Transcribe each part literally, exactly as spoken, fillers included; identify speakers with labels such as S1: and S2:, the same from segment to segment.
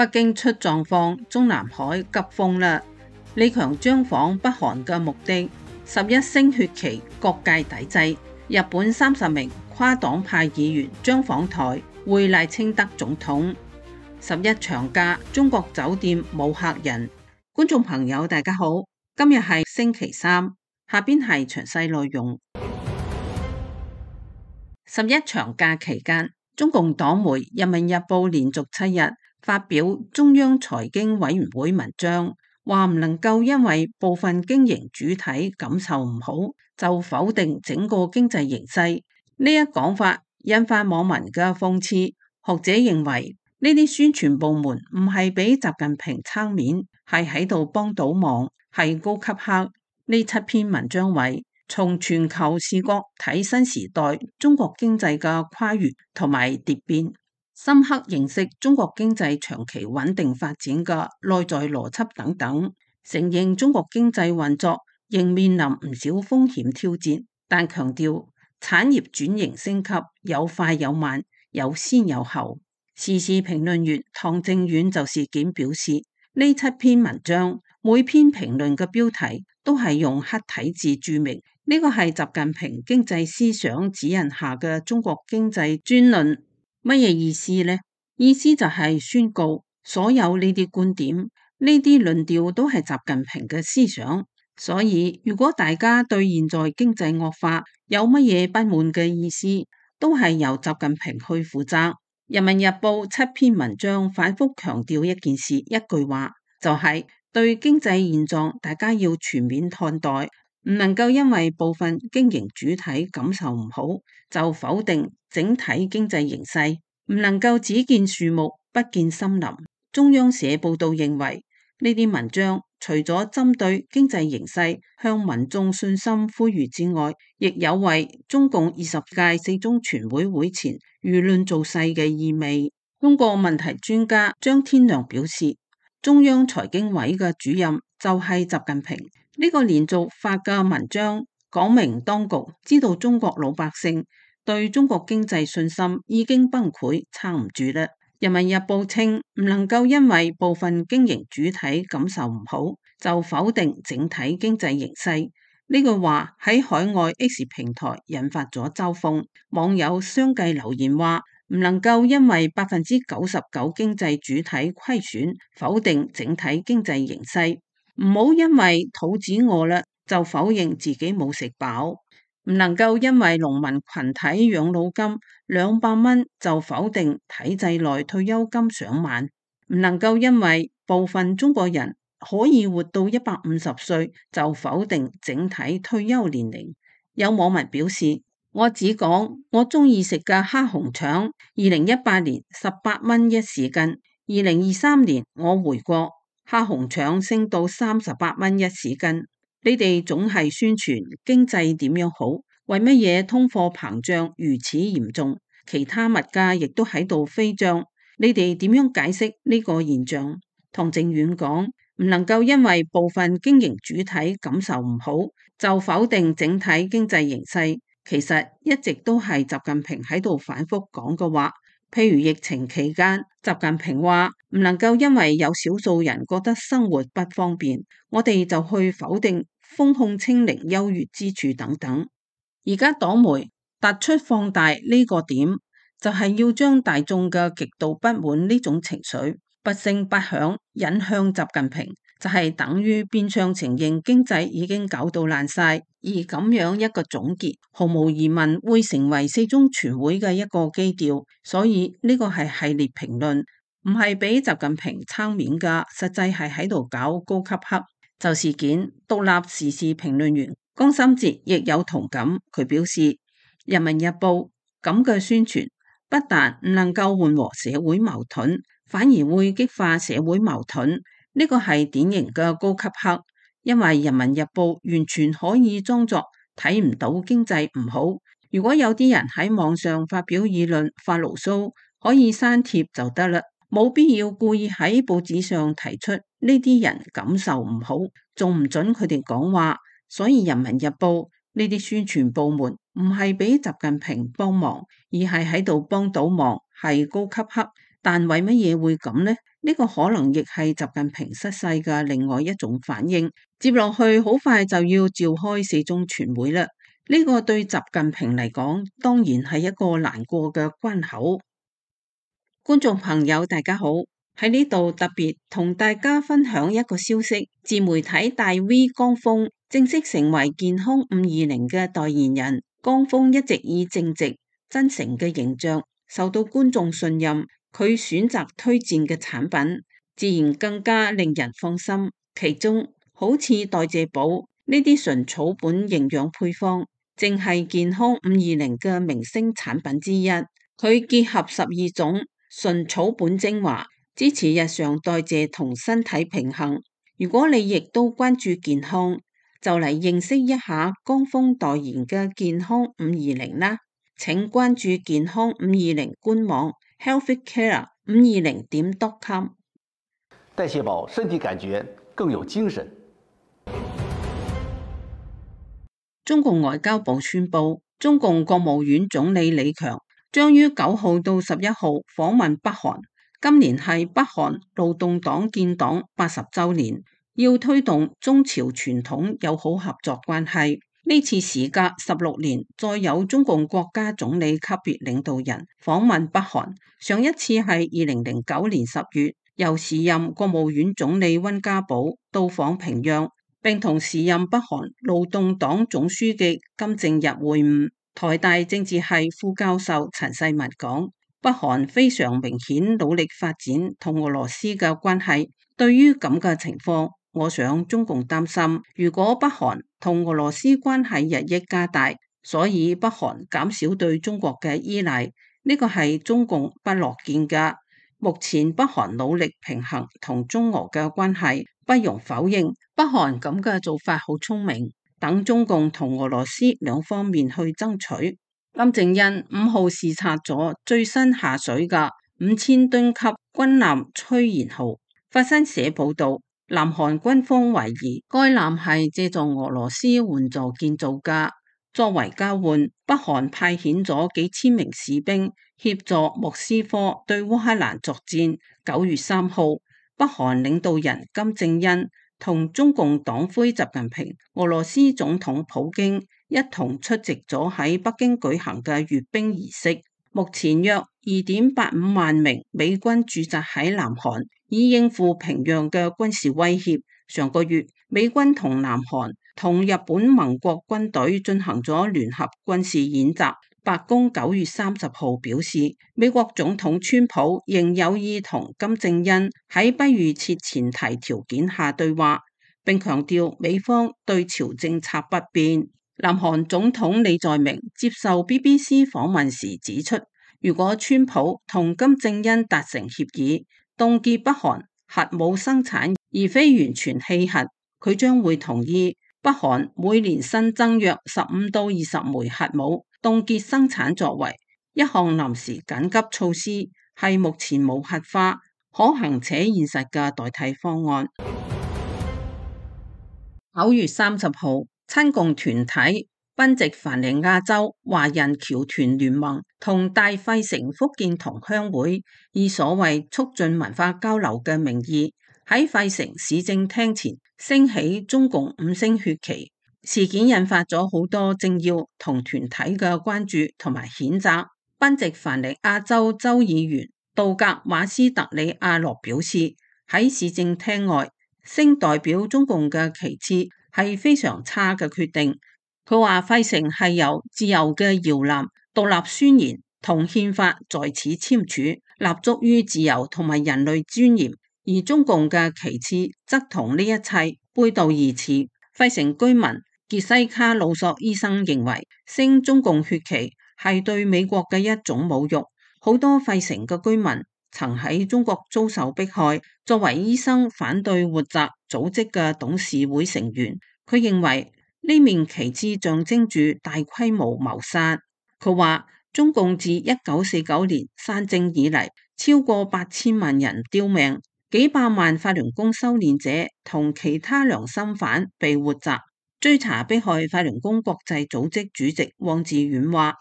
S1: 北京出狀況，中南海急風啦！李強將訪北韓嘅目的，十一星血期各界抵制。日本三十名跨黨派議員將訪台會賴清德總統。十一長假，中國酒店冇客人。觀眾朋友大家好，今日係星期三，下邊係詳細內容。十一長假期間，中共黨媒《人民日報》連續七日發表中央財經委員會文章，話唔能夠因為部分經營主體感受唔好，就否定整個經濟形勢。呢一講法引發網民嘅諷刺。學者認為呢啲宣傳部門唔係俾習近平撐面，係喺度幫倒忙，係高級黑。呢七篇文章為從全球視角睇新時代中國經濟嘅跨越同埋蝶變，深刻認識中國經濟長期穩定發展嘅內在邏輯等等，承認中國經濟運作仍面臨唔少風險挑戰，但強調產業轉型升級有快有慢，有先有後。時事評論員唐正遠就事件表示，呢七篇文章每篇評論嘅標題都係用黑體字注明，呢個係習近平經濟思想指引下嘅中國經濟專論。乜嘢意思呢？意思就係宣告所有呢啲觀點、呢啲論調都係習近平嘅思想。所以如果大家對現在經濟惡化有乜嘢不滿嘅意思，都係由習近平去負責。人民日報七篇文章反覆強調一件事、一句話，就係對經濟現狀大家要全面看待，唔能夠因為部分經營主體感受唔好，就否定整體經濟形勢，唔能夠只見樹木不見森林。中央社報道認為，呢啲文章除咗針對經濟形勢向民眾信心呼籲之外，亦有為中共二十屆四中全會會前輿論造勢嘅意味。中國問題專家張天良表示，中央財經委嘅主任就係習近平。呢個連續發嘅文章講明當局知道中國老百姓對中國經濟信心已經崩潰，撐唔住啦。人民日報稱唔能夠因為部分經營主體感受唔好，就否定整體經濟形勢。呢句話喺海外 X 平台引發咗嘲諷，網友相繼留言話唔能夠因為百分之九十九經濟主體虧損，否定整體經濟形勢。唔好因為肚子餓啦，就否認自己冇食飽。唔能夠因為農民群體養老金兩百蚊就否定體制內退休金上萬。唔能夠因為部分中國人可以活到一百五十歲就否定整體退休年齡。有網民表示，我只講我中意食嘅蝦紅腸，二零一八年十八蚊一市斤，二零二三年我回國，蝦紅腸升到三十八蚊一市斤。你哋總係宣傳經濟點樣好，為乜嘢通貨膨脹如此嚴重？其他物價亦都喺度飛漲，你哋點樣解釋呢個現象？唐正遠講，唔能夠因為部分經營主體感受唔好，就否定整體經濟形勢。其實一直都係習近平喺度反覆講嘅話。譬如疫情期間，習近平話唔能夠因為有少數人覺得生活不方便，我哋就去否定風控清零優越之處等等。而家黨媒突出放大呢個點，就係要將大眾嘅極度不滿呢種情緒不聲不響引向習近平，就係等於變相承認經濟已經搞到爛晒。而咁樣一個總結，毫無疑問會成為四中全會嘅一個基調。所以呢個係系列評論，唔係俾習近平撐面噶，實際係喺度搞高級黑。就事件，獨立時事評論員江心哲亦有同感。佢表示，人民日報咁嘅宣傳不但唔能夠緩和社會矛盾，反而會激化社會矛盾。呢個係典型嘅高級黑。因為人民日報完全可以裝作睇唔到經濟唔好。如果有啲人喺網上發表議論發牢騷，可以刪帖就得啦，冇必要故意喺報紙上提出呢啲人感受唔好，仲唔准佢哋講話。所以人民日報呢啲宣傳部門唔係俾習近平幫忙，而係喺度幫倒忙，係高級黑。但為乜嘢會咁呢？呢個可能亦係習近平失勢嘅另外一種反應。接落去好快就要召開四中全會啦，呢個對習近平嚟講當然係一個難過嘅關口。觀眾朋友大家好，喺呢度特別同大家分享一個消息，自媒體大 V 江峰正式成為健康五二零嘅代言人。江峰一直以正直、真誠嘅形象受到觀眾信任，佢選擇推薦嘅產品自然更加令人放心。其中好似代謝寶呢啲純草本營養配方，正係健康五二零嘅明星產品之一。佢結合十二種純草本精華，支持日常代謝同身體平衡。如果你亦都關注健康，就嚟認識一下江峰代言嘅健康五二零啦。請關注健康五二零官網 healthcare 五二零點 com。
S2: 代謝寶身體感覺更有精神。
S1: 中共外交部宣布，中共國務院總理李強將於九號到十一號訪問北韓。今年係北韓勞動黨建黨八十週年，要推動中朝傳統友好合作關係。呢次時隔十六年，再有中共國家總理級別領導人訪問北韓。上一次係二零零九年十月，由時任國務院總理溫家寶到訪平壤，並同時任北韓勞動黨總書記金正日會晤。台大政治系副教授陳世文講，北韓非常明顯努力發展同俄羅斯嘅關係。對於咁嘅情況，我想中共擔心，如果北韓同俄羅斯關係日益加大，所以北韓減少對中國嘅依賴，呢個係中共不樂見嘅。目前北韓努力平衡同中俄嘅關係，不容否認，北韓咁嘅做法好聰明。等中共同俄羅斯兩方面去爭取。金正恩五號視察咗最新下水嘅五千噸級軍艦崔賢號。法新社報道，南韓軍方懷疑該艦係借助俄羅斯援助建造嘅。作為交換，北韓派遣咗幾千名士兵協助莫斯科對烏克蘭作戰。九月三號，北韓領導人金正恩同中共黨魁習近平、俄羅斯總統普京一同出席咗喺北京舉行嘅閱兵儀式。目前約二點八五萬名美軍駐紮喺南韓，以應付平壤嘅軍事威脅。上個月，美軍同南韓同日本盟國軍隊進行咗聯合軍事演習。白宮九月三十號表示，美國總統川普仍有意同金正恩喺不預設前提條件下對話，並強調美方對朝政策不變。南韓總統李在明接受 B B C 訪問時指出，如果川普同金正恩達成協議，凍結北韓核武生產而非完全棄核，佢將會同意北韓每年新增約十五到二十枚核武。凍結生產作為一項臨時緊急措施，係目前無核化、可行且現實嘅代替方案。九月三十號，親共團體賓夕凡尼亞州華人僑團聯盟同大費城福建同鄉會以所謂促進文化交流嘅名義，喺費城市政廳前升起中共五星血旗。事件引發咗好多政要同團體嘅關注同埋譴責。賓夕凡尼亞州州議員杜格馬斯特里亞羅表示，喺市政廳外升代表中共嘅旗幟係非常差嘅決定。佢話費城係由自由嘅搖籃獨立宣言同憲法在此簽署，立足於自由同埋人類尊嚴，而中共嘅旗幟則同呢一切背道而馳。費城居民傑西卡魯索醫生認為，升中共血旗係對美國嘅一種侮辱。好多費城嘅居民曾喺中國遭受迫害。作為醫生反對活摘組織嘅董事會成員，佢認為呢面旗幟象徵住大規模謀殺。佢話中共自一九四九年山政以嚟，超過八千萬人丟命，幾百萬法輪功修煉者同其他良心犯被活摘。追查迫害法輪功國際組織主席汪志遠話：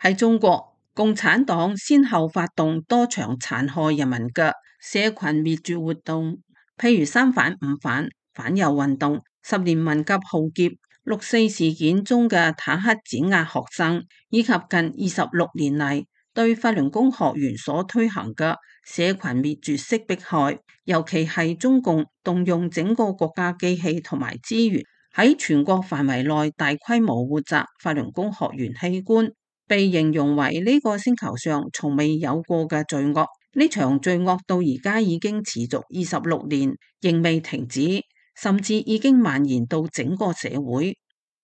S1: 喺中國共產黨先後發動多場殘害人民嘅社群滅絕活動，譬如三反五反、反右運動、十年文革浩劫、六四事件中嘅坦克碾壓學生，以及近二十六年嚟對法輪功學員所推行嘅社群滅絕式迫害，尤其係中共動用整個國家機器同埋資源，喺全國範圍內大規模活摘法輪功學員器官，被形容為呢個星球上從未有過嘅罪惡。呢場罪惡到而家已經持續二十六年，仍未停止，甚至已經蔓延到整個社會。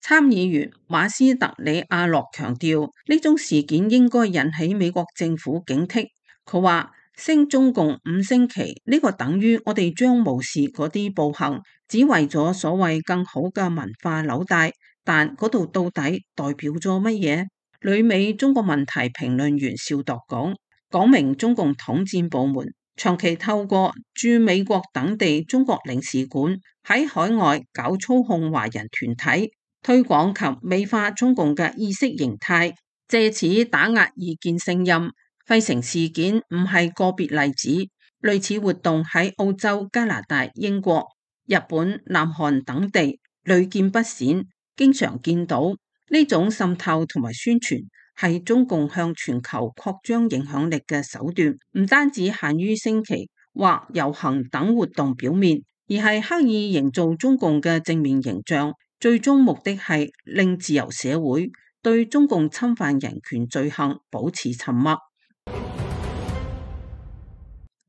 S1: 參議員馬斯特里亞諾強調，呢種事件應該引起美國政府警惕。佢話：升中共五星旗呢個等於我哋將無視嗰啲暴行，只為咗所謂更好嘅文化紐帶，但嗰度到底代表咗乜嘢？旅美中國問題評論員邵度講，講明中共統戰部門長期透過駐美國等地中國領事館喺海外搞操控華人團體，推廣及美化中共嘅意識形態，借此打壓異見聲音。費城事件唔係個別例子，類似活動喺澳洲、加拿大、英國、日本、南韓等地屢見不鮮，經常見到呢種滲透同埋宣傳係中共向全球擴張影響力嘅手段，唔單止限於升旗或遊行等活動表面，而係刻意營造中共嘅正面形象，最終目的係令自由社會對中共侵犯人權罪行保持沉默。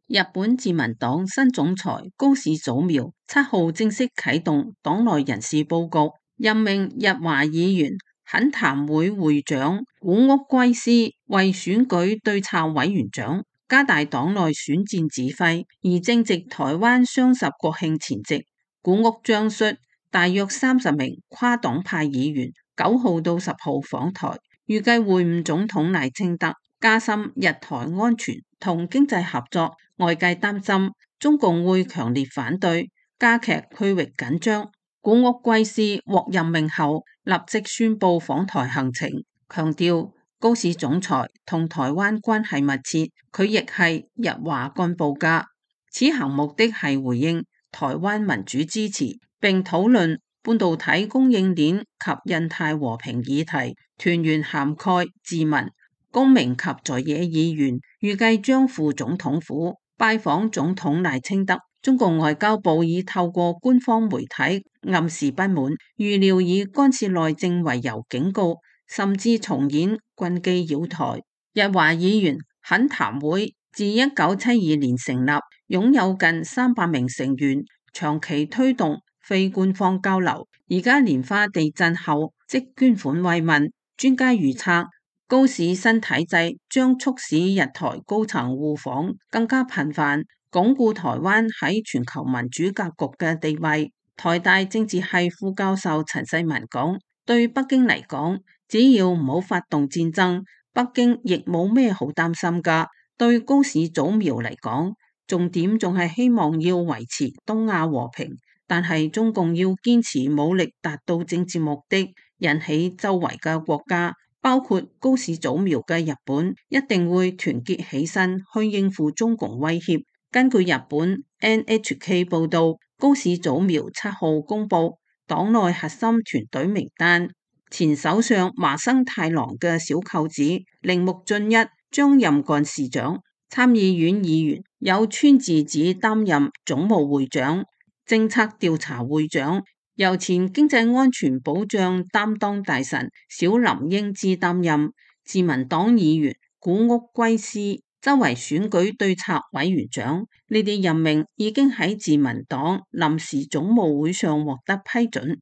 S1: 日本自民黨新總裁高市早苗七號正式啟動黨內人事報告，任命日華議員懇談會會長古屋圭司為選舉對策委員長，加大黨內選戰指揮。而正值台灣雙十國慶前夕，古屋將率大約三十名跨黨派議員九號到十號訪台，預計會晤總統賴清德，加深日台安全同經濟合作。外界擔心中共會強烈反對，加劇區域緊張。古屋圭司獲任命後，立即宣布訪台行程，強調高市總裁同台灣關係密切，佢亦係日華幹部家。此行目的係回應台灣民主支持，並討論半導體供應鏈及印太和平議題，團員涵蓋自民、公民及在野議員，預計將赴總統府拜訪總統賴清德。中共外交部已透過官方媒體暗示不滿，預料以干涉內政為由警告，甚至重演軍機擾台。日華議員懇談會自一九七二年成立，擁有近三百名成員，長期推動非官方交流。而家蓮花地震後即捐款慰問，專家預測高市新體制將促使日台高層互訪更加頻繁，鞏固台灣喺全球民主格局嘅地位。台大政治系副教授陳世文講，對北京嚟講，只要唔好發動戰爭，北京亦冇咩好擔心噶。對高市早苗嚟講，重點仲係希望要維持東亞和平，但係中共要堅持武力達到政治目的，引起周圍嘅國家，包括高市早苗嘅日本，一定會團結起身去應付中共威脅。根據日本 N H K 報道，高市早苗七號公布黨內核心團隊名單，前首相麻生太郎嘅小舅子鈴木俊一將任幹事長，參議院議員有川智子擔任總務會長、政策調查會長，由前經濟安全保障擔當大臣小林英之擔任。自民黨議員古屋圭司周為選舉對策委員長，呢啲任命已經喺自民黨臨時總務會上獲得批准。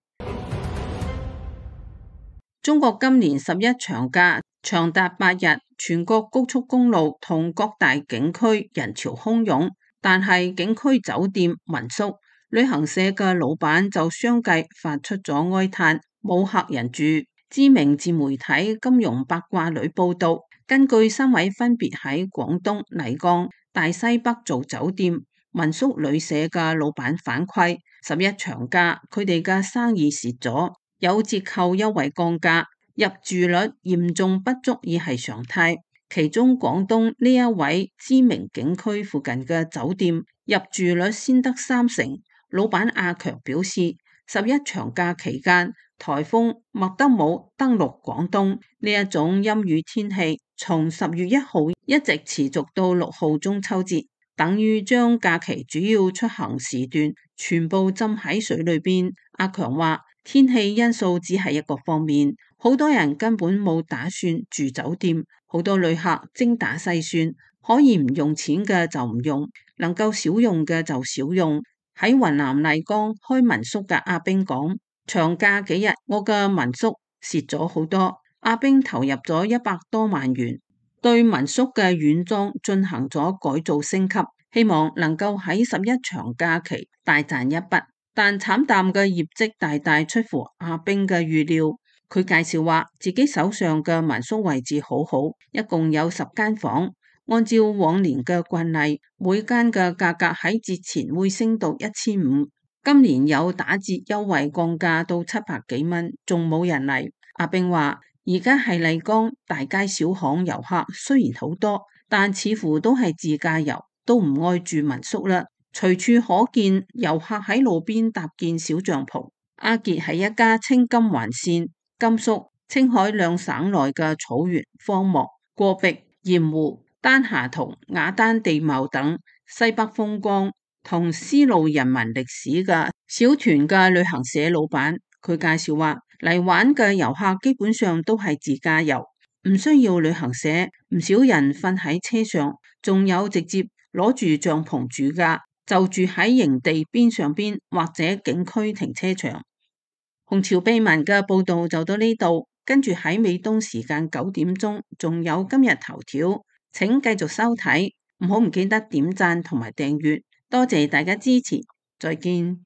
S1: 中國今年十一長假長達八日，全國高速公路同各大景區人潮洶湧，但係景區酒店、民宿、旅行社嘅老闆就相繼發出咗哀嘆，冇客人住。知名自媒體金融八卦女報道，根據三位分別喺廣東麗江、大西北做酒店、民宿旅社嘅老闆反饋，十一長假佢哋嘅生意蝕咗，有折扣優惠降價，入住率嚴重不足以係常態。其中廣東呢一位知名景區附近嘅酒店入住率先得三成。老闆阿強表示，十一長假期間，颱風麥德姆登陸廣東，呢一種陰雨天氣從十月一號一直持續到六號中秋節，等於將假期主要出行時段全部浸喺水裏邊。阿強話，天氣因素只係一個方面，好多人根本冇打算住酒店，好多旅客精打細算，可以唔用錢嘅就唔用，能夠少用嘅就少用。喺雲南麗江開民宿嘅阿兵講，長假幾日我嘅民宿蝕咗好多。阿兵投入咗一百多萬元，對民宿嘅軟裝進行咗改造升級，希望能夠喺十一長假期大賺一筆。但慘淡嘅業績大大出乎阿兵嘅預料。佢介紹話，自己手上嘅民宿位置好好，一共有十間房。按照往年嘅慣例，每間嘅價格喺節前會升到一千五，今年有打折優惠降價到七百幾蚊，仲冇人嚟。阿兵話，而家係麗江大街小巷遊客雖然好多，但似乎都係自駕遊，都唔愛住民宿啦。隨處可見遊客喺路邊搭建小帳篷。阿傑係一家青金環線、甘肅、青海兩省內嘅草原、荒漠、戈壁、鹽湖、丹霞同雅丹地貌等西北風光同絲路人民歷史嘅小團嘅旅行社老闆。佢介紹話，嚟玩嘅遊客基本上都係自駕遊，唔需要旅行社，唔少人瞓喺車上，仲有直接攞住帳篷住㗎，就住喺營地邊上邊或者景區停車場。紅潮秘聞嘅報道就到呢度，跟住喺美東時間九點鐘仲有今日頭條，請繼續收睇，唔好唔記得點讚同埋訂閱，多謝大家支持，再見。